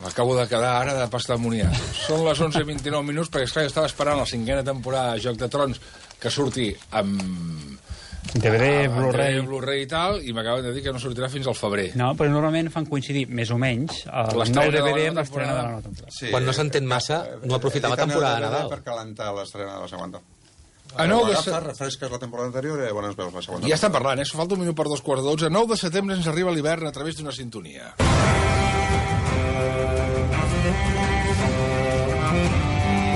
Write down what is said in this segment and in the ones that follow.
M'acabo de quedar ara de pastamoniar. Són les 11:29 minuts, perquè esclar, jo estava esperant la 5a temporada de Joc de Trons que surti amb DVD, Blu-ray i tal, i m'acaben de dir que no sortirà fins al febrer. No, però normalment fan coincidir, més o menys, el nou DVD amb l'estrena de la nova temporada. Sí, quan no s'entén massa, no aprofitar la temporada de Nadal. Per calentar l'estrena de la segona. Refresques la temporada anterior i llavors veus la segona. Ja estan parlant, Això falta un minut per 2:15. 9 de setembre ens arriba l'hivern a través d'una sintonia.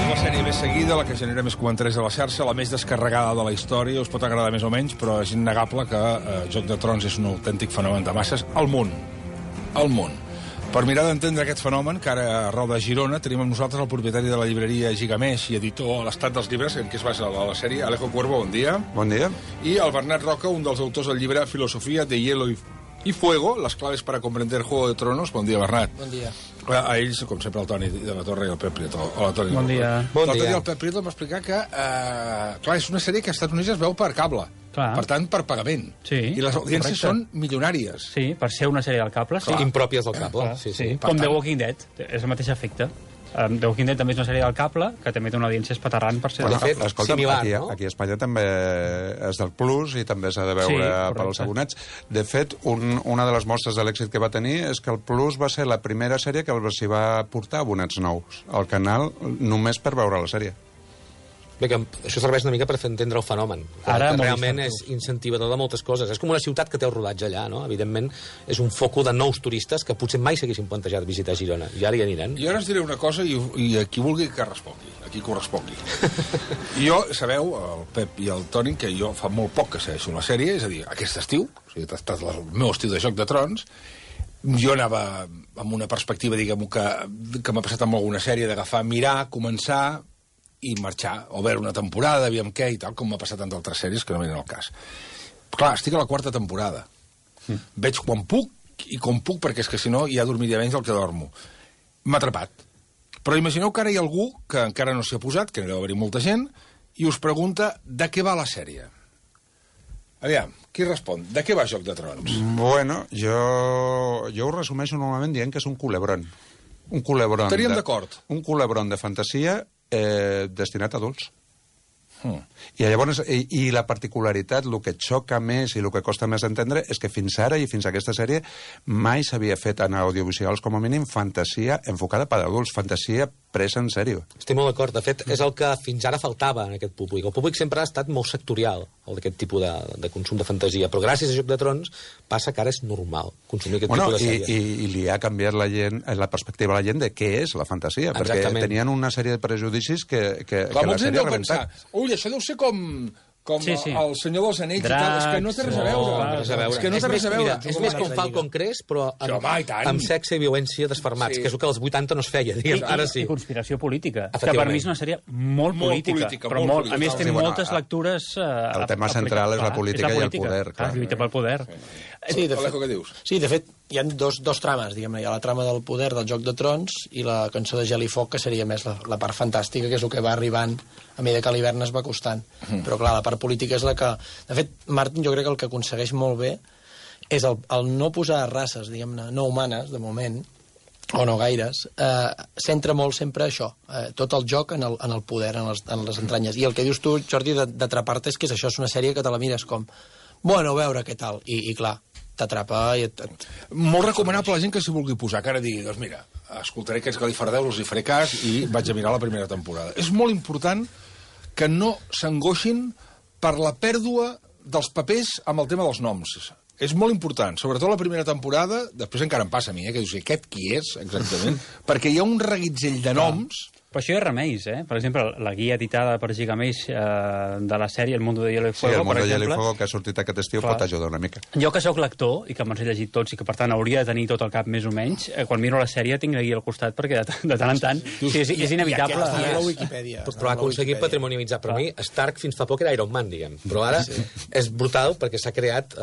La sèrie més seguida, la que genera més comentaris a la xarxa, la més descarregada de la història, us pot agradar més o menys, però és innegable que Joc de Trons és un autèntic fenomen de masses al món. Al món. Per mirar d'entendre aquest fenomen, que ara a Rau de Girona tenim amb nosaltres el propietari de la llibreria Gigamesh i editor a l'Estat dels Llibres, en què es basa la sèrie, Alejo Cuervo, bon dia. Bon dia. I el Bernat Roca, un dels autors del llibre Filosofía de Hielo y Fuego, las claves para comprender Juego de Tronos. Bon dia, Bernat. Bon dia. A ells, com sempre, el Toni de la Torre i el Pep Prieto. Hola, Toni. Bon dia. Bon dia. El Pep Prieto em va explicar que clar, és una sèrie que als Estats Units es veu per cable. Clar. Per tant, per pagament. Sí, I les audiències correcte. són milionàries. Sí, per ser una sèrie del cable, sí. Impròpies del cable. Sí. Com The Walking Dead, és el mateix efecte. The Walking Dead també és una sèrie del cable, que també té una audiència espaterrant per ser... Bueno, de fet, escolta, similar, aquí, no? aquí a Espanya també és del Plus i també s'ha de veure per als abonats. De fet, una de les mostres de l'èxit que va tenir és que el Plus va ser la primera sèrie que s'hi va portar abonats nous al canal només per veure la sèrie. Bé, que això serveix una mica per fer entendre el fenomen. Ara, que realment és incentivador de moltes coses. És com una ciutat que té el rodatge allà, no? Evidentment, és un foco de nous turistes que potser mai s'haguessin plantejat visitar Girona. I ara hi aniran. I ara us diré una cosa i a qui vulgui que respongui. A qui correspongui. Jo, sabeu, el Pep i el Toni, que jo fa molt poc que segueixo la sèrie, és a dir, aquest estiu, o sigui, ha estat el meu estiu de Joc de Trons, jo anava amb una perspectiva, diguem-ho, que m'ha passat amb alguna sèrie, d'agafar, mirar, començar i marxar, o veure una temporada, aviam què i tal, com m'ha passat amb altres sèries que no venen al cas. Clar, estic a la 4ª temporada. Veig quan puc i com puc, perquè és que si no ja dormiria menys del que dormo. M'ha atrapat. Però imagineu que ara hi ha algú que encara no s'hi ha posat, que n'hi deu haver-hi molta gent, i us pregunta de què va la sèrie. Aviam, qui respon? De què va Joc de Trons? Bueno, jo ho resumeixo normalment dient que és un culebron. Un culebron. Estaríem d'acord. Un culebron de fantasia destinat a adults. I llavors, i la particularitat, el que xoca més i el que costa més entendre és que fins ara i fins a aquesta sèrie mai s'havia fet en audiovisuals, com a mínim, fantasia enfocada per adults, fantasia presa en sèrio. Estic molt d'acord. De fet, és el que fins ara faltava en aquest públic. El públic sempre ha estat molt sectorial, el d'aquest tipus de consum de fantasia, però gràcies a Joc de Trons passa que ara és normal consumir aquest tipus de sèries. I li ha canviat la perspectiva a la gent de què és la fantasia, perquè tenien una sèrie de prejudicis que la sèrie ha rebentat. Ui, això deu ser com Sí. el Senyor dels Anells i tal. És que no té res a veure. És que no té res a veure. És més com Falcon Crest, però amb sexe i violència desfermats, que és el que als 80 no es feia, diguem. Ara sí. I conspiració política, que per mi és una sèrie molt política, però molt. A més, té moltes lectures... El tema central és la política i el poder. La lluita pel poder. Sí, Alejo, què dius? Sí, de fet, hi ha dos trames, diguem-ne. Hi ha la trama del poder del Joc de Trons i la cançó de Gel i Foc, que seria més la part fantàstica, que és el que va arribant a mesura que l'hivern es va acostant. Però, clar, la part política és la que... De fet, Martin jo crec que el que aconsegueix molt bé és el no posar races, diguem-ne, no humanes, de moment, o no gaires, centra molt sempre això, tot el joc en el poder, en les entranyes. I el que dius tu, Jordi, d'atrapar-te és que això és una sèrie que te la mires com, bueno, a veure què tal, i clar, t'atrapa i Molt recomanable a la gent que s'hi vulgui posar, que ara digui, doncs mira, escoltaré aquests galifardeus, els hi faré cas i vaig a mirar la primera temporada. És molt important que no s'angoixin per la pèrdua dels papers amb el tema dels noms. És molt important, sobretot la primera temporada, després encara em passa a mi, que dius, aquest qui és, exactament? Perquè hi ha un reguitzell de noms... Però això hi ha remeis, Per exemple, la guia editada per Gigamesh de la sèrie El mundo de hielo y fuego, el mundo per exemple... de hielo y fuego, que ha sortit aquest estiu, pot ajudar una mica. Jo que sóc lector, i que me'ls he llegit tots, i que per tant hauria de tenir tot el cap més o menys, quan miro la sèrie tinc la guia al costat, perquè de tant en tant és inevitable. I a la Wikipedia. Però ha aconseguit patrimonialitzar. Per mi, Stark fins fa poc era Iron Man, diguem. Però ara és brutal perquè s'ha creat...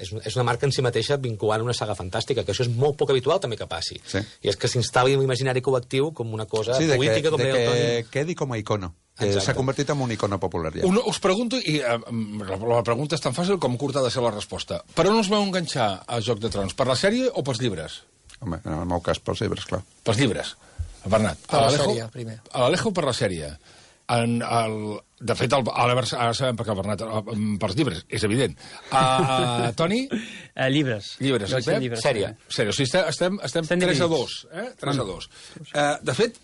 és una marca en si mateixa vinculant una saga fantàstica, que això és molt poc habitual també que passi. I és que s'instal·li en l'imaginari col·lectiu com una cosa política, com deia el Toni. Quedi com a icono. S'ha convertit en un icono popular ja. Us pregunto, i la pregunta és tan fàcil com curta ha de ser la resposta. Per on us vau enganxar a Joc de Trons? Per la sèrie o pels llibres? Home, en el meu cas, pels llibres, clar. Pels llibres. Bernat. Per la sèrie, primer. A l'Alejo per la sèrie. De fet, ara sabem per què el Bernat... Pels llibres, és evident. Toni? Llibres. Llibres. Sèrie. O sigui, estem 3-2. 3-2. De fet,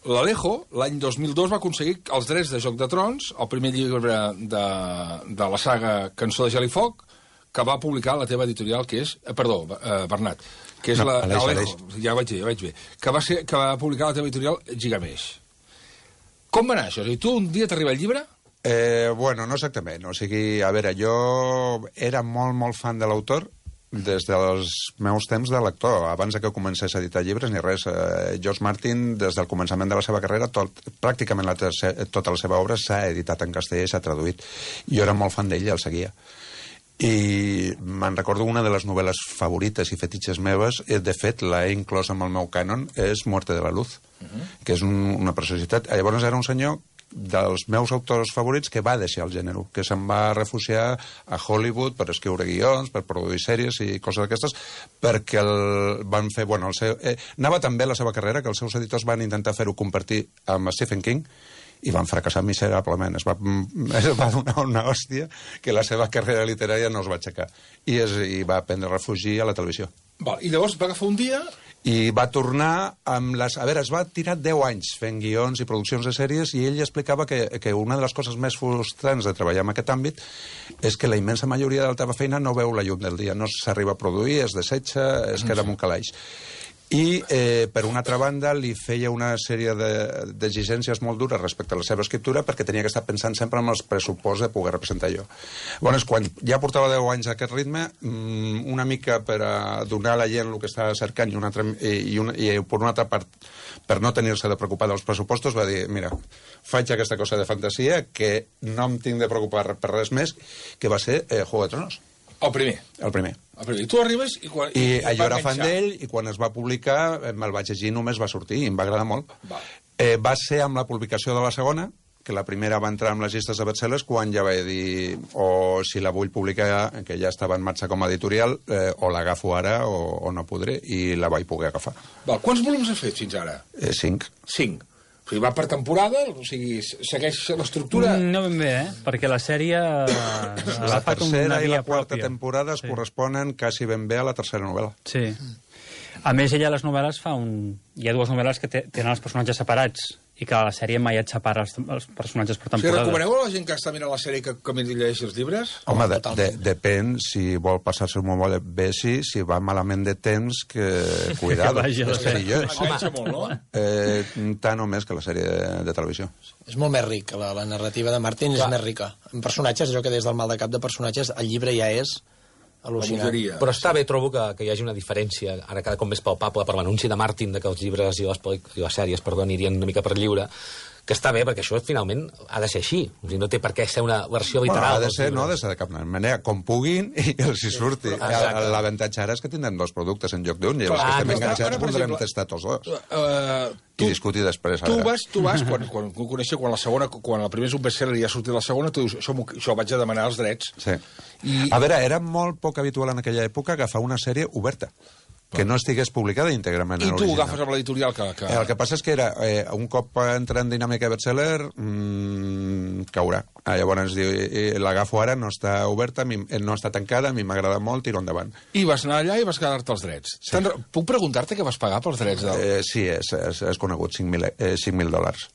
l'Alejo, l'any 2002, va aconseguir els drets de Joc de Trons, el primer llibre de la saga Cançó de Gel i Foc, que va publicar la teva editorial, que és... Perdó, Bernat, que és l'Alejo, ja vaig bé, que va publicar la teva editorial Gigamesh. Com va anar això? Tu un dia t'arriba el llibre? Bueno, no exactament. O sigui, a veure, jo era molt fan de l'autor des dels meus temps de lector, abans que comencés a editar llibres ni res. George Martin, des del començament de la seva carrera, pràcticament tota la seva obra s'ha editat en castellà i s'ha traduït. Jo era molt fan d'ell i el seguia. I me'n recordo una de les novel·les favorites i fetitxes meves, de fet l'he inclòs en el meu cànon, és Muerte de la Luz, que és una preciositat. Llavors era un senyor dels meus autors favorits que va deixar el gènere, que se'n va refugiar a Hollywood per escriure guions, per produir sèries i coses d'aquestes, perquè van fer... Bueno, anava tan bé la seva carrera que els seus editors van intentar fer-ho compartir amb Stephen King i van fracassar miserablement. Es va donar una hòstia que la seva carrera literària no es va aixecar. I va prendre refugi a la televisió. I llavors va agafar un dia... I va tornar amb les... A veure, es va tirar 10 anys fent guions i produccions de sèries i ell explicava que una de les coses més frustrants de treballar en aquest àmbit és que la immensa majoria de la teva feina no veu la llum del dia, no s'arriba a produir, es desecha, es queda en un calaix. I, per una altra banda, li feia una sèrie d'exigències molt dures respecte a la seva escriptura perquè tenia que estar pensant sempre en els pressuposts de poder representar jo. Llavors, quan ja portava 10 anys a aquest ritme, una mica per a donar a la gent el que estava cercant i per una altra part, per no tenir-se de preocupar dels pressupostos, va dir, mira, faig aquesta cosa de fantasia que no em tinc de preocupar per res més, que va ser Juego de Tronos. El primer. I tu arribes i jo era fan d'ell i quan es va publicar me'l vaig llegir, només va sortir i em va agradar molt. Va ser amb la publicació de la segona, que la primera va entrar en les llistes de bestsellers, quan ja vaig dir o si la vull publicar, que ja estava en marxa com a editorial, o l'agafo ara o no podré, i la vaig poder agafar. Quants volums has fet fins ara? 5. 5. O sigui, va per temporada? O sigui, segueix l'estructura? No ben bé, perquè la sèrie... La tercera i la quarta temporada es corresponen quasi ben bé a la tercera novel·la. Sí. A més, ella a les novel·les hi ha 2 novel·les que tenen els personatges separats i que a la sèrie mai et separa els personatges per temporada. Recomaneu a la gent que està mirant la sèrie que me llegeixi els llibres? Home, depèn si vol passar-se molt bé, si va malament de temps, que cuidado, és perillós. Molt, no? Tant o més que la sèrie de televisió. És molt més ric, la narrativa de Martin és més rica. En personatges, allò que des del mal de cap de personatges, el llibre ja és al·lucinant. Però està bé, trobo que hi hagi una diferència, ara cada cop més palpable, per l'anunci de Martin de que els llibres i les sèries anirien una mica per lliure, que està bé, perquè això finalment ha de ser així. O sigui, no té per què ser una versió literal. No ha de ser de cap manera. Com puguin i els hi surti. L'avantatge ara és que tindrem 2 productes en lloc d'un, i els que estem enganxats podrem tastar tots 2. I discutir després. Tu vas, quan coneixia, quan la primera és un best-seller i ja ha sortit la segona, tu dius, això vaig a demanar els drets. Sí. A veure, era molt poc habitual en aquella època agafar una sèrie oberta, que no estigués publicada íntegrament. I tu ho agafes amb l'editorial que... El que passa és que era, un cop entra en dinàmica bestseller, caurà. Llavors l'agafo ara, no està oberta, no està tancada, a mi m'agrada molt, tiro endavant. I vas anar allà i vas quedar-te els drets. Sí. Puc preguntar-te què vas pagar pels drets? Sí, és conegut, $5.000.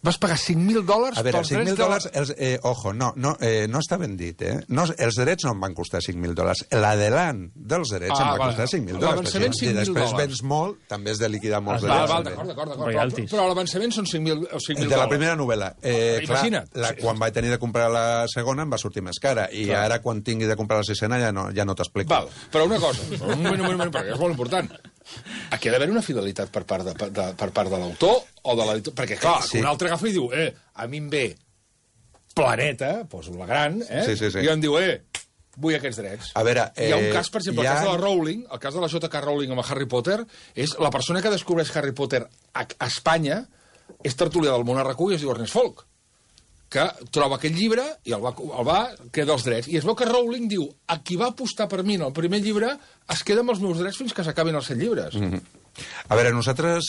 Vas pagar $5.000 pels drets? $5.000, ojo, no està ben dit, No, els drets no em van costar $5.000. L'adelant dels drets em va costar $5.000. L'avançament $5.000. I després vens molt, també has de liquidar molts drets. D'acord. Però l'avançament són $5.000. De la primera novel·la. Imagina't. Quan vaig tenir de comprar la segona em va sortir més cara. I ara, quan tingui de comprar la sisena, ja no t'explico. Però una cosa, un moment, perquè és molt important. Aquí ha d'haver una fidelitat per part de l'autor o de l'editor, perquè clar, un altre agafa i diu, a mi em ve Planeta, poso la gran, i em diu, vull aquests drets. A veure, hi ha un cas, per exemple, el cas de la Rowling, el cas de la J.K. Rowling amb Harry Potter, és la persona que descobreix Harry Potter a Espanya és tertulià del Món RQ i es diu Ernest Folk. que troba aquest llibre i el va queda els drets. I es veu que Rowling diu, a qui va apostar per mi en el primer llibre es queda amb els meus drets fins que s'acabin els 7 llibres. A veure, nosaltres,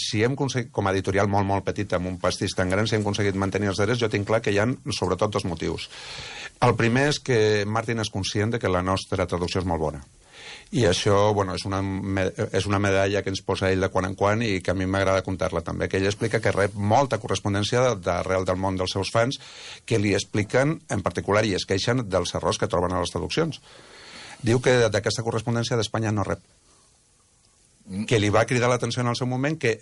si hem aconseguit, com a editorial molt, molt petita, amb un pastís tan gran, si hem aconseguit mantenir els drets, jo tinc clar que hi ha, sobretot, 2 motius. El primer és que Martin és conscient de que la nostra traducció és molt bona. I això, bueno, és una medalla que ens posa ell de quan en quan i que a mi m'agrada comptar-la també, que ell explica que rep molta correspondència d'arrel del món dels seus fans que li expliquen, en particular, i es queixen dels errors que troben a les traduccions. Diu que d'aquesta correspondència d'Espanya no rep. Que li va cridar l'atenció en el seu moment que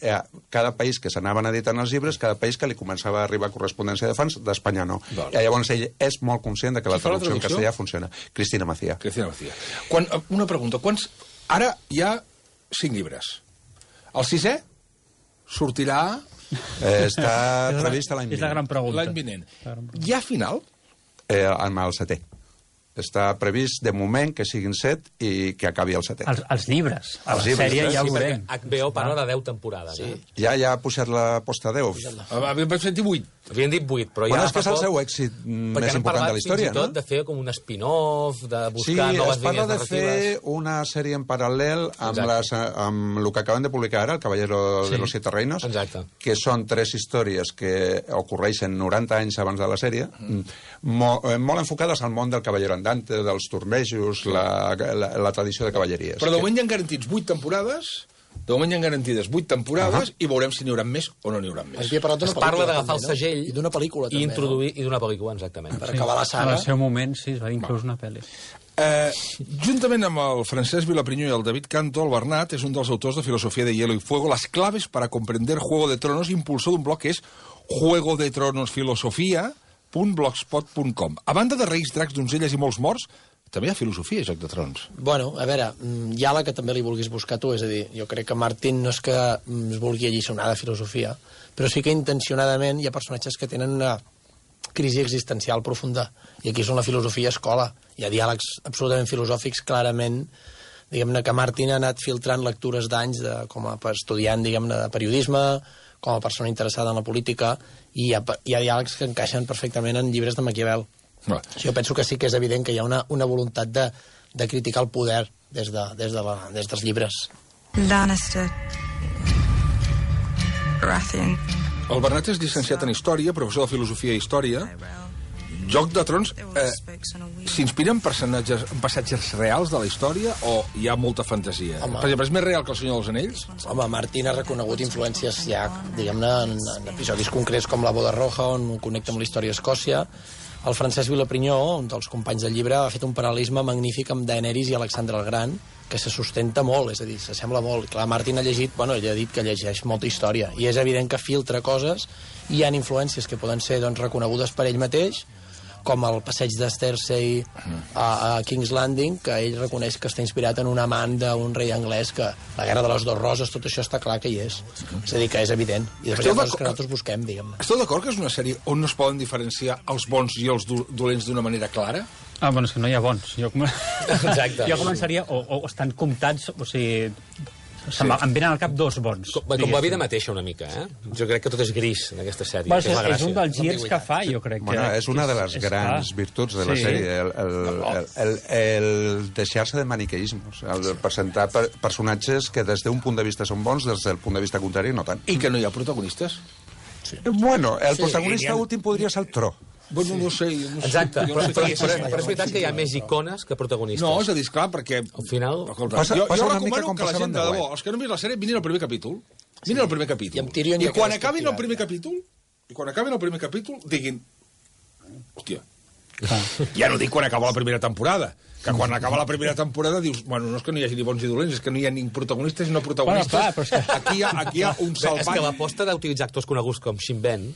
cada país que s'anaven editant els llibres, cada país que li començava a arribar correspondència de fans, d'Espanya no. I llavors ell és molt conscient de que la traducció en castellà funciona. Cristina Macía. Una pregunta. Ara hi ha 5 llibres. El 6è sortirà... Està previst l'any vinent. És la gran pregunta. L'any vinent. Hi ha final? Amb el 7è. Està previst, de moment, que siguin 7 i que acabi el 7è. Els llibres. A la sèrie ja ho veurem. HBO parla de 10 temporades. Sí. Ja ha pujat la posta 10. Vaig sentir 8. Havien dit 8, però Bueno, ja... és que és el seu èxit més important de la història, no? Perquè han parlat fins i tot de fer com un spin-off, de buscar noves línies narratives. Sí, es parla de fer una sèrie en paral·lel amb el que acaben de publicar ara, El Caballero de los Siete Reinos, que són 3 històries que ocorreixen 90 anys abans de la sèrie, molt enfocades al món del Caballero Andante, dels tornejos, la tradició de cavalleries. Però de moment hi han garantits 8 temporades... De moment hi ha garantides 8 temporades i veurem si n'hi haurà més o no n'hi haurà més. Es parla d'agafar el segell i d'una pel·lícula també, i introduir i d'una pel·lícula, exactament. Per acabar la saga. En el seu moment, sí, es va inclús una pel·li. Juntament amb el Francesc Vilaprinyó i el David Canto, el Bernat és un dels autors de Filosofía de Hielo y Fuego, las claves para comprender Juego de Tronos, impulsor d'un blog que és juegodetronosfilosofia.blogspot.com. A banda de Reis, Dracs, Donzelles i molts morts, també hi ha filosofia a Joc de Trons. Bueno, a veure, hi ha la que també li vulguis buscar tu, és a dir, jo crec que Martin no és que es vulgui alliçonar de filosofia, però sí que intencionadament hi ha personatges que tenen una crisi existencial profunda, i aquí és on la filosofia escola. Hi ha diàlegs absolutament filosòfics, clarament, diguem-ne que Martin ha anat filtrant lectures d'anys com a estudiant, diguem-ne, de periodisme, com a persona interessada en la política, i hi ha diàlegs que encaixen perfectament en llibres de Maquiavel. Jo penso que sí que és evident que hi ha una voluntat de criticar el poder des dels llibres. Lannister. Baratheon. El Bernat és llicenciat en Història, professor de Filosofia i Història. Joc de Trons s'inspira en passatges reals de la història o hi ha molta fantasia? Per exemple, és més real que El Senyor dels Anells? Home, Martin ha reconegut influències ja, diguem-ne, en episodis concrets com La Boda Roja, on connecta amb la història d'Escòcia. El Francesc Vilaprinyó, un dels companys del llibre, ha fet un paral·lelisme magnífic amb Daenerys i Alexandre el Gran, que se sustenta molt, és a dir, s'assembla molt. Clar, Martin ha llegit, bueno, ell ha dit que llegeix molta història, i és evident que filtra coses, i hi ha influències que poden ser doncs, reconegudes per ell mateix, com el passeig de Cersei a King's Landing, que ell reconeix que està inspirat en un amant d'un rei anglès, que la Guerra de les Dos Roses, tot això està clar que hi és. És a dir, que és evident. I després hi ha coses que nosaltres busquem, diguem-ne. Esteu d'acord que és una sèrie on no es poden diferenciar els bons i els dolents d'una manera clara? Bueno, és que no hi ha bons. Exacte. Jo començaria, o estan comptats, o sigui... Em venen al cap 2 bons. Com la vida mateixa, una mica, eh? Jo crec que tot és gris en aquesta sèrie. És un dels girs que fa, jo crec. Bueno, és una de les grans virtuts de la sèrie, el deixar-se de maniqueismes, el presentar personatges que des d'un punt de vista són bons, des del punt de vista contrari no tant. I que no hi ha protagonistes? Bueno, el protagonista últim podria ser el Tro. Bueno, no sé. Exacte, però és veritat que hi ha més icones que protagonistes. No, és a dir, esclar, perquè... Al final... Jo recomano que la gent, de debò, els que no han vist la sèrie, mirin el primer capítol. Mirin el primer capítol. I quan acabin el primer capítol, diguin... Hòstia, ja no dic quan acaba la primera temporada, que quan acaba la primera temporada dius, bueno, no és que no hi hagi ni bons ni dolents, és que no hi ha ni protagonistes ni no protagonistes. Bueno, clar, aquí hi ha un salvant. És que l'aposta d'utilitzar actors coneguts com Shin Ben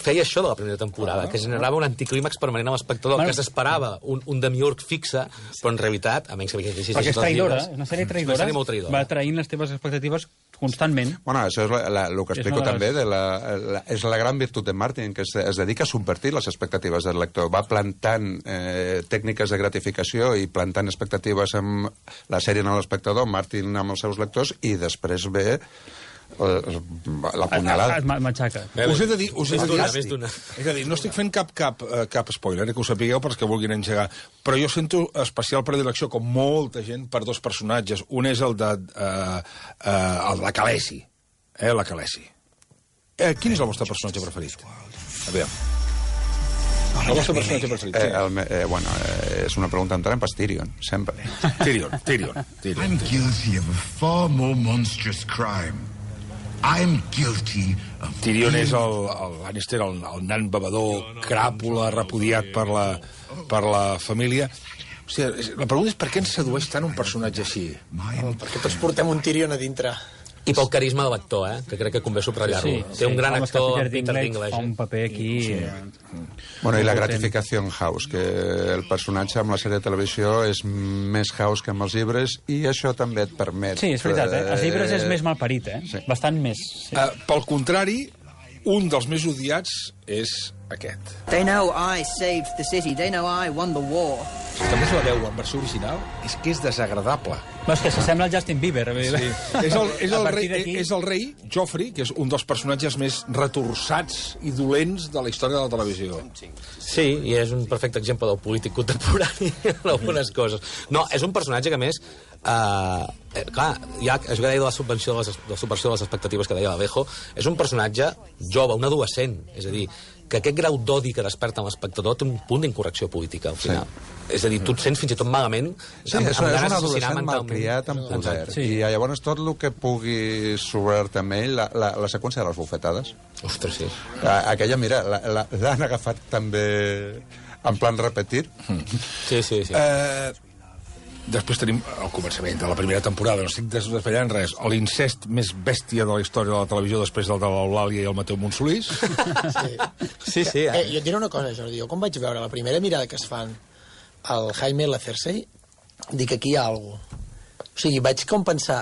feia això de la primera temporada, que generava un anticlímax permanent amb l'espectador, que s'esperava un demiurg fixe, però en realitat, a menys que perquè és traïdora, és una sèrie traïdora, una sèrie molt traïdora. Va traint les teves expectatives constantment. Bueno, això és el que explico també, és la gran virtut de Martin, que es dedica a subvertir les expectatives del lector. Va plantant tècniques de gratificació i plantant expectatives amb la sèrie en l'espectador, Martin amb els seus lectors, i després ve la punyalada. Matxaca. Us he de dir... Més d'una. És a dir, no estic fent cap spoiler, que ho sapigueu perquè vulguin engegar, però jo sento especial predilecció, com molta gent, per dos personatges. Un és el de la Khaleesi. La Khaleesi. Quin és el vostre personatge preferit? A veure. El vostre personatge preferit? És una pregunta amb trampa, és Tyrion, sempre. Tyrion. I'm guilty of a far more monstrous crime. I'm guilty of... Tyrion és el Lannister, el nan bevedor, cràpula, repudiat per la família. O sigui, la pregunta és per què ens sedueix tant un personatge així? Perquè tots portem un Tyrion a dintre. I pel carisma de l'actor, que crec que convé subratllar-lo. Té un gran actor, Peter Dinklage. Fa un paper aquí... Bueno, i la gratificació en House, que el personatge amb la sèrie de televisió és més House que amb els llibres, i això també et permet... Sí, és veritat, Els llibres és més malparit, Sí. Bastant més. Sí. Pel contrari, un dels més odiats és aquest. They know I saved the city. They know I won the war. Si també la veu en versió original, és que és desagradable. No, és que s'assembla al Justin Bieber. Sí. És el rei, Joffrey, que és un dels personatges més retorçats i dolents de la història de la televisió. Sí, i és un perfecte exemple del polític contemporani en algunes coses. No, és un personatge que, a més, clar, ja, això que deia de la subversió de les expectatives que deia l'Alejo, és un personatge jove, un adolescent, és a dir, que aquest grau d'odi que desperta en l'espectador té un punt d'incorrecció política, al final. Sí. És a dir, tu et sents fins i tot malament... Sí, és un adolescent malcriat amb poder. Sí. I llavors tot el que pugui sobrar-te amb ell, la seqüència de les bufetades... Ostres, sí. Aquella, mira, l'han agafat també en plan repetir. Sí. Després tenim el començament de la primera temporada, no estic desvetllant res, l'incest més bèstia de la història de la televisió després del de l'Eulàlia i el Mateu Montsolís. Sí. Jo et diré una cosa, Jordi, jo quan vaig veure la primera mirada que es fan al Jaime i la Cersei, dic, aquí hi ha alguna cosa. O sigui, vaig com pensar,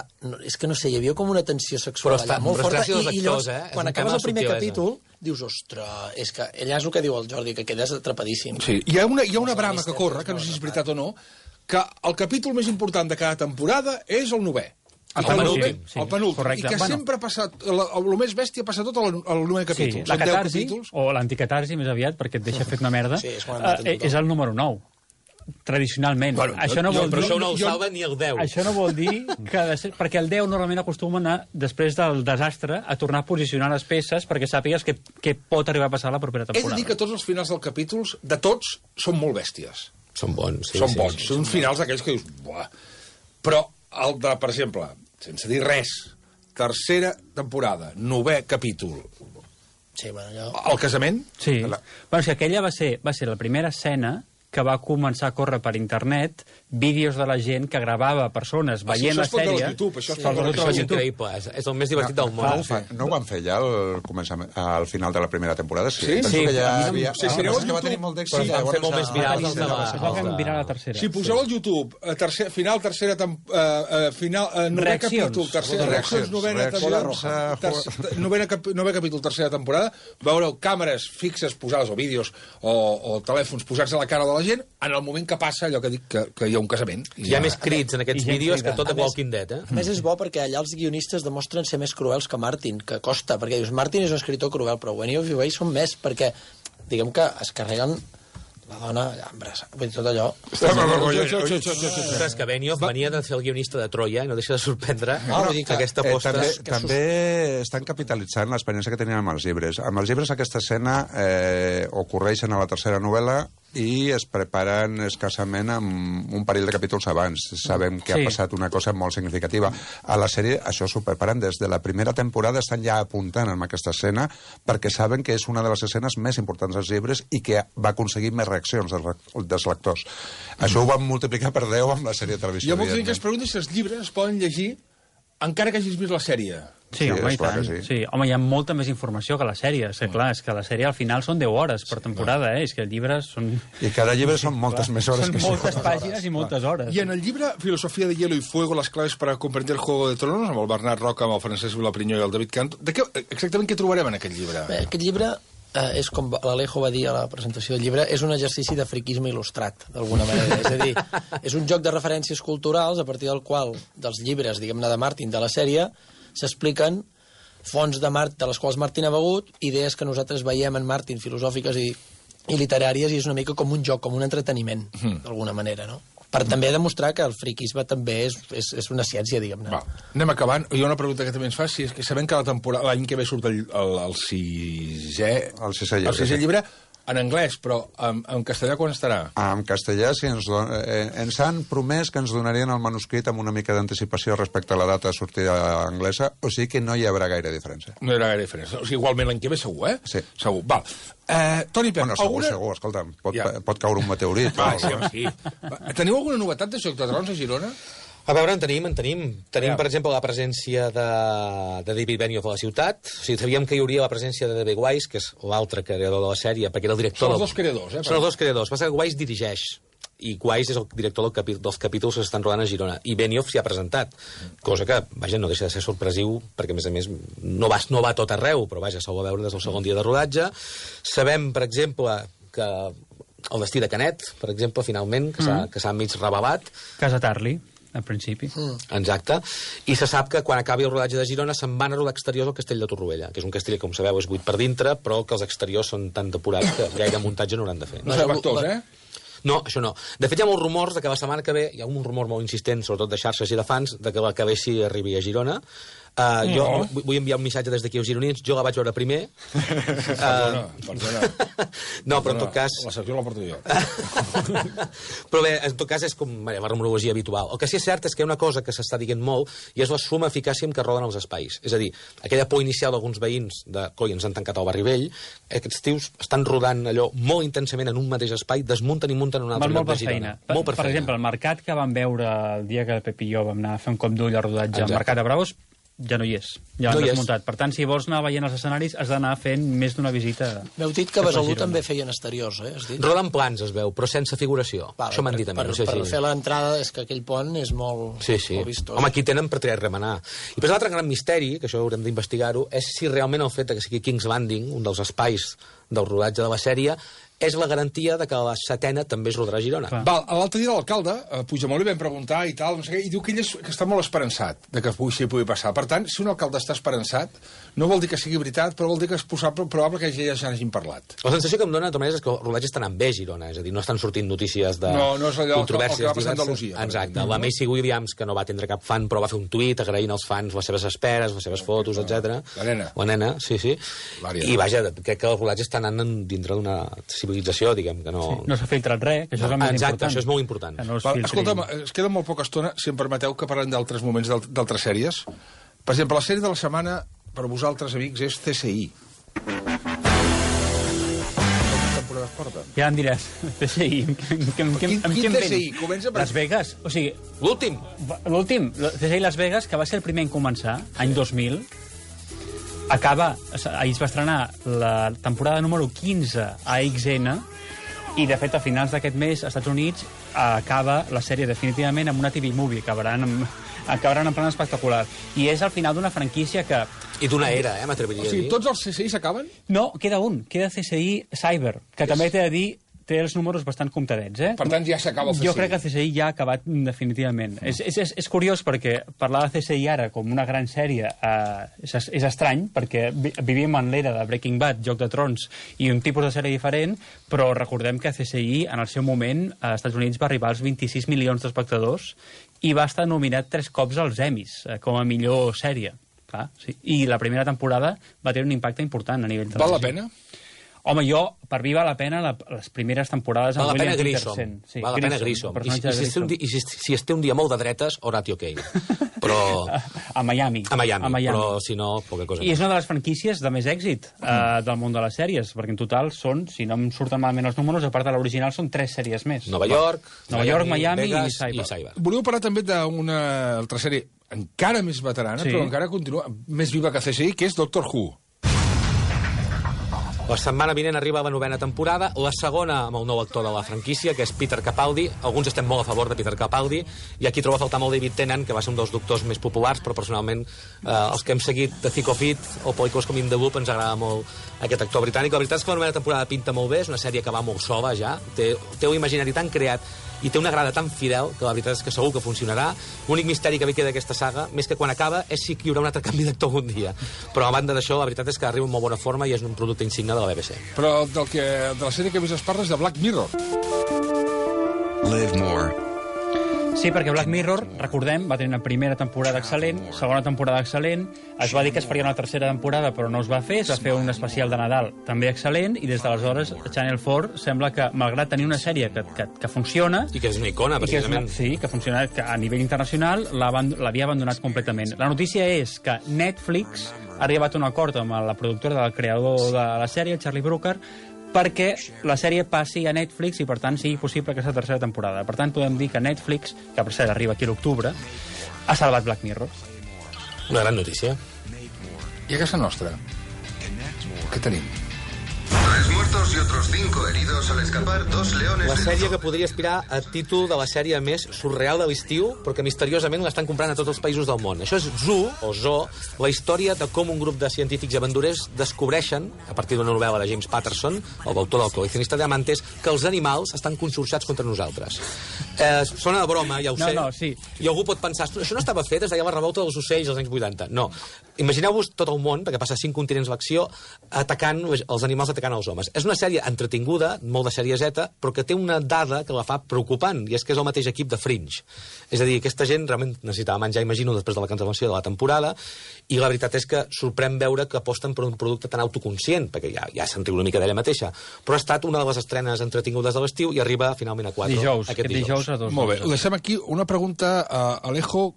és que no sé, hi havia com una tensió sexual allà molt forta, i llavors, quan acabes el primer capítol, dius, ostres, és que allà és el que diu el Jordi, que quedes atrapadíssim. Sí, hi ha una brama que corre, que no sé si és veritat o no, que el capítol més important de cada temporada és el 9è. El penúltim. I que sempre ha passat... El més bèstia passa tot al 9è capítol. Sí, la catarsi, o l'anticatarsi més aviat, perquè et deixa fet una merda, és el número 9. Tradicionalment. Bueno, això no vol dir... Però això no el salva ni el 10. Això no vol dir que... Perquè el 10 normalment acostuma a anar, després del desastre, a tornar a posicionar les peces perquè sàpigues què pot arribar a passar la propera temporada. He de dir que tots els finals dels capítols, de tots, són molt bèsties. Són bons, sí. Són bons. Són finals d'aquells que dius... Buah. Però el de, per exemple, sense dir res, tercera temporada, 9è capítol... Sí, bueno, jo... El casament... Sí. Bueno, és que aquella va ser la primera escena que va començar a córrer per internet vídeos de la gent que gravava persones veient la sèrie. Això és increïble, és el més divertit del món. No ho van fer ja al final de la primera temporada? Sí? Penso que ja havia... Sí, que va tenir molt d'èxit. Van fer molt més virals es va fer viral la tercera. Si poseu al YouTube final, tercera novè capítol, reaccions, novè capítol, tercera temporada, veureu càmeres fixes posades, o vídeos, o telèfons posats a la cara de la gent en el moment que passa allò que dic que hi ha un casament. Hi ha més crits en aquests vídeos que tot a Walking Dead, A més, és bo perquè allà els guionistes demostren ser més cruels que Martin, que costa, perquè dius, Martin és un escriptor cruel, però Benioff i Weiss són més perquè, diguem que es carreguen la dona allà embrassada, vull dir, tot allò... Ostres, que Benioff venia de fer el guionista de Troia i no deixa de sorprendre aquesta aposta. També estan capitalitzant l'experiència que tenien amb els llibres. Amb els llibres aquesta escena ocorreixen a la tercera novel·la i es preparen escassament amb un parell de capítols abans. Sabem que ha passat una cosa molt significativa. A la sèrie això s'ho preparen des de la primera temporada, estan ja apuntant en aquesta escena perquè saben que és una de les escenes més importants dels llibres i que va aconseguir més reaccions dels lectors. Això ho van multiplicar per 10 amb la sèrie de televisió. Hi ha molta gent que es pregunta si els llibres es poden llegir encara que hagis vist la sèrie. Sí, home, i tant. Sí. Home, hi ha molta més informació que la sèrie. Clar, és que la sèrie al final són 10 hores per temporada, És que el llibre són... I cada llibre són moltes més hores. Són moltes pàgines i moltes hores. I en el llibre Filosofía de hielo y fuego, las claves para comprender el Juego de Tronos, amb el Bernat Roca, amb el Francesc Vilaprinyó i el David Canto, exactament què trobarem en aquest llibre? Bé, aquest llibre és com l'Alejo va dir a la presentació del llibre, és un exercici de friquisme il·lustrat, d'alguna manera. És a dir, és un joc de referències culturals a partir del qual, dels llibres, diguem-ne, de Martin, de la sèrie, s'expliquen fonts de les quals Martin ha begut, idees que nosaltres veiem en Martin, filosòfiques i literàries, i és una mica com un joc, com un entreteniment, d'alguna manera, no? Per també demostrar que el friquisme també és una ciència, diguem-ne. Va, anem acabant. Hi ha una pregunta que també ens fa, si és que sabem que l'any que ve surt el sisè llibre en anglès, però en castellà quan estarà? En castellà, sí, ens han promès que ens donarien el manuscrit amb una mica d'anticipació respecte a la data de sortida anglesa, o sigui que no hi haurà gaire diferència. No hi haurà gaire diferència. O sigui, igualment l'any que ve segur, eh? Sí. Segur. Val. Toni Pep, segur, escolta'm, pot caure un meteorit. Sí. Teniu alguna novetat de Joc de Trons a Girona? A veure, en tenim. Tenim, per exemple, la presència de David Benioff a la ciutat. O sigui, sabíem que hi hauria la presència de David Weiss, que és l'altre creador de la sèrie, perquè era el director... Són els dos creadors, eh? Són els dos creadors. Passa que Weiss dirigeix, i Weiss és el director dels capítols que s'estan rodant a Girona. I Benioff s'hi ha presentat, cosa que, vaja, no deixa de ser sorpresiu, perquè, a més, no va tot arreu, però, vaja, s'ho va veure des del segon dia de rodatge. Sabem, per exemple, que el destí de Canet, per exemple, finalment, que s'ha mig revelat. Casa Tarly, al principi. Exacte. I se sap que quan acabi el rodatge de Girona se'n van a rodar exteriors al castell de Torroella, que és un castell que, com sabeu, és buit per dintre, però que els exteriors són tan depurats que gaire muntatge no hauran de fer. No sabem actors, eh? No, això no. De fet, hi ha molts rumors de que la setmana que ve, hi ha un rumor molt insistent, sobretot de xarxes i de fans, de que la que ve sí arribi a Girona. Jo vull enviar un missatge des d'aquí als gironins. Jo la vaig veure primer. Perdona. No, però en tot cas... La secció la porto jo. Però bé, en tot cas és com la rumorologia habitual. El que sí és cert és que hi ha una cosa que s'està dient molt i és la suma eficàcia amb què roden els espais. És a dir, aquella por inicial d'alguns veïns de coi, ens han tancat al barri vell, aquests tios estan rodant allò molt intensament en un mateix espai, desmunten i munten en un altre lloc de Girona. Molt per feina. Per exemple, el mercat que vam veure el dia que el Pep i jo vam anar a fer un cop d'ull al rodatge al Mercat de Bravos, ja no hi és, ja l'han desmuntat. Per tant, si vols anar veient els escenaris, has d'anar fent més d'una visita. M'heu dit que a Besalú també feien exteriors, eh? Roden plans, es veu, però sense figuració. Això m'han dit a mi. Per fer l'entrada, és que aquell pont és molt vistós. Home, aquí tenen per triar remenar. I després l'altre gran misteri, que això haurem d'investigar-ho, és si realment el fet que sigui King's Landing, un dels espais del rodatge de la sèrie, és la garantia de que la setena també es rodarà a Girona. Val, l'altre dia l'alcalde, Puigdemont, li vam preguntar i tal, no sé què, i diu que ell que està molt esperançat de que s'hi pugui passar. Per tant, si un alcalde està esperançat, no vol dir que sigui veritat, però vol dir que és probable que ja hagin parlat. La sensació que em dona, de totes maneres, és que el rodatge està anant bé a Girona, és a dir, no estan sortint notícies de no és allò controvèrsies que va passar a Andalusia. Exacte. La Macy Williams, que no va atendre cap fan, però va fer un tuit agraint als fans les seves esperes, les seves fotos, etc. La nena, sí. I vaja, crec que el rodatge està anant dintre d'una civilització, diguem, que no... No s'ha filtrat res, que això és el més important. Exacte, això és molt important. Escolta'm, es queda molt poca estona, si em permeteu, que parlem d'altres moments d'altres sèries. Per exemple, la sèrie de la setmana, per vosaltres, amics, és CSI. Quantes temporades porta? Ja em diràs, CSI. Quin CSI? Comença per... Las Vegas, o sigui... L'últim, CSI Las Vegas, que va ser el primer en començar, any 2000, ahir es va estrenar la temporada número 15 a XN, i de fet a finals d'aquest mes als Estats Units acaba la sèrie definitivament amb una TV Movie, acabaran en plan espectacular, i és al final d'una franquícia que... I d'una era, m'atreviria a dir. O sigui, tots els CSI s'acaben? No, queda CSI Cyber, que també t'he de dir té els números bastant comptadets, eh? Per tant, ja s'acaba el CSI. Jo crec que el CSI ja ha acabat definitivament. És curiós perquè parlar de CSI ara com una gran sèrie és estrany, perquè vivim en l'era de Breaking Bad, Joc de Trons i un tipus de sèrie diferent, però recordem que CSI en el seu moment als Estats Units va arribar als 26 milions d'espectadors i va estar nominat 3 cops als Emmys com a millor sèrie. Sí. I la primera temporada va tenir un impacte important a nivell de... Val la pena? Home, per mi val la pena les primeres temporades... Val la pena Grissom. Val la pena Grissom. I si es té un dia molt de dretes, Horatio Kane. Però... A Miami. A Miami. Però si no, poca cosa. I és una de les franquícies de més èxit del món de les sèries, perquè en total són, si no em surten malament els números, a part de l'original, són 3 sèries més. Nova York, Miami Vegas i Cyber. Volíeu parlar també d'una altra sèrie encara més veterana, però encara continua més viva que CSI, que és Doctor Who. La setmana vinent arriba la 9ª temporada, la segona amb el nou actor de la franquícia, que és Peter Capaldi. Alguns estem molt a favor de Peter Capaldi, i aquí trobo a faltar molt David Tennant, que va ser un dels doctors més populars, però personalment els que hem seguit The Thick of It o pel·lícules com In the Loop ens agrada molt aquest actor britànic. La veritat és que la 9ª temporada pinta molt bé, és una sèrie que va molt sola ja, té un imaginari tan creat i té una grada tan fidel que la veritat és que segur que funcionarà. L'únic misteri que ve queda d'aquesta saga, més que quan acaba, és si hi haurà un altre canvi d'actor algun dia. Però a banda d'això, la veritat és que arriba en molt bona forma i és un producte insigne de la BBC. Però de la sèrie que més es parla és de Black Mirror. Live more. Sí, perquè Black Mirror, recordem, va tenir una primera temporada excel·lent, segona temporada excel·lent, es va dir que es faria una tercera temporada, però no es va fer, es va fer un especial de Nadal també excel·lent, i des d'aleshores Channel 4 sembla que, malgrat tenir una sèrie que funciona... I que és una icona, precisament. Que funciona, que a nivell internacional l'havia abandonat completament. La notícia és que Netflix ha arribat a un acord amb la productora del creador de la sèrie, el Charlie Brooker, perquè la sèrie passi a Netflix i, per tant, sigui possible aquesta tercera temporada. Per tant, podem dir que Netflix, que per cert arriba aquí a l'octubre, ha salvat Black Mirror. Una gran notícia. I a casa nostra? Què tenim? 3 muertos y otros 5 heridos al escapar 2 leones... La sèrie que podria aspirar a títol de la sèrie més surreal de l'estiu, perquè misteriosament l'estan comprant a tots els països del món. Això és Zoo, o Zoo, la història de com un grup de científics i aventurers descobreixen, a partir d'una novel·la de James Patterson, el autor del Coleccionista de Diamantes, que els animals estan consorciats contra nosaltres. Sona de broma, ja ho sé. No, sí. I algú pot pensar, això no estava fet, es deia la revolta dels ocells als anys 80. No. Imagineu-vos tot el món, perquè passa 5 continents l'acció, atacant els animals atacant els homes. És una sèrie entretinguda, molt de serieseta, però que té una dada que la fa preocupant, i és que és el mateix equip de Fringe. És a dir, aquesta gent realment necessitava menjar, imagino, després de la cancel·lació de la temporada, i la veritat és que sorprèn veure que aposten per un producte tan autoconscient, perquè ja se'n riu una mica d'ella mateixa, però ha estat una de les estrenes entretingudes de l'estiu i arriba finalment a 4 aquest dijous. A 2. Molt bé, deixem aquí una pregunta a Alejo.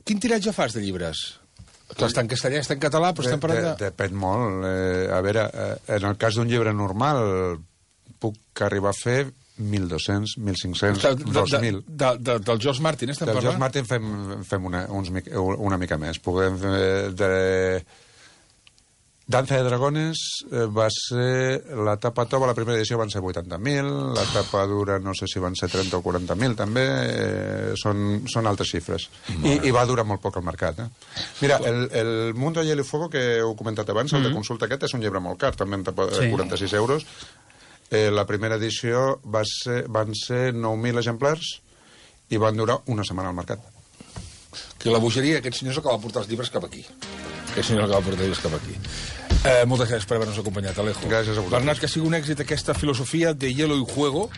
Quin tiratge fas de llibres? Clar, està en castellà, està en català, però estem parlant de... Depèn molt. A veure, en el cas d'un llibre normal puc arribar a fer 1.200, 1.500, 2.000. Del George Martin estem parlant? Del George Martin fem una mica més. Podem Danza de Dragones va ser... La tapa tova, la primera edició van ser 80.000, la tapa dura no sé si van ser 30 o 40.000 també, són altes xifres. I va durar molt poc al mercat. Mira, el Mundo de Hielo y Fuego, que heu comentat abans, el de consulta aquest, és un llibre molt car, també en tapa 46 euros. La primera edició van ser 9.000 exemplars i van durar una setmana al mercat. Que la bogeria, aquest senyor és el que va portar els llibres cap aquí. Aquest senyor és el que va portar els llibres cap aquí. Moltes gràcies per haver-nos acompanyat, Alejo. Gràcies a vosaltres. Bernat, que sigui un èxit aquesta filosofia de hielo y fuego,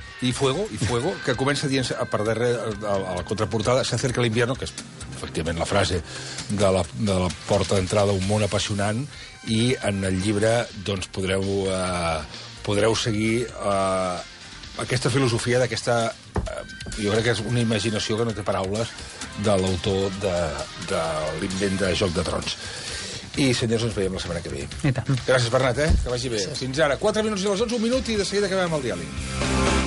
que comença dient per darrere a la contraportada, se acerca l'invierno, que és efectivament la frase de la porta d'entrada a un món apassionant, i en el llibre doncs, podreu seguir aquesta filosofia d'aquesta... jo crec que és una imaginació que no té paraules de l'autor de l'invent de Joc de Trons. I, senyors, ens veiem la setmana que ve. I tant. Gràcies, Bernat, que vagi bé. Fins ara. 4 minuts i les 11, un minut, i de seguida acabem el diàleg.